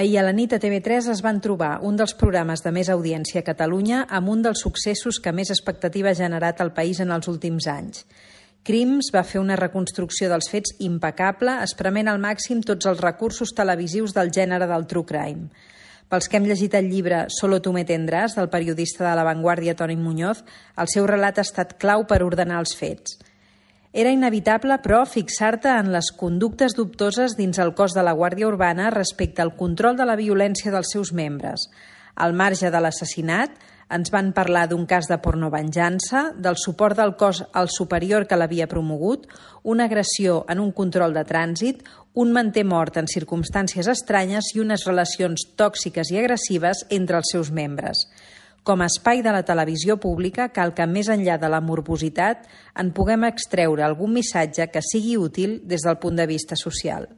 Ahir a la nit a TV3 es van trobar un dels programes de més audiència a Catalunya amb un dels successos que més expectativa ha generat al país en els últims anys. Crims va fer una reconstrucció dels fets impecable, esprement al màxim tots els recursos televisius del gènere del true crime. Pels que hem llegit el llibre Solo tú me tendrás, del periodista de La Vanguardia Toni Muñoz, el seu relat ha estat clau per ordenar els fets. Era inevitable, però, fixar-te en les conductes dubtoses dins el cos de la Guàrdia Urbana respecte al control de la violència dels seus membres. Al marge de l'assassinat, ens van parlar d'un cas de pornovenjança, del suport del cos al superior que l'havia promogut, una agressió en un control de trànsit, un manter mort en circumstàncies estranyes i unes relacions tòxiques i agressives entre els seus membres. Com a espai de la televisió pública, cal que, més enllà de la morbositat, en puguem extreure algun missatge que sigui útil des del punt de vista social.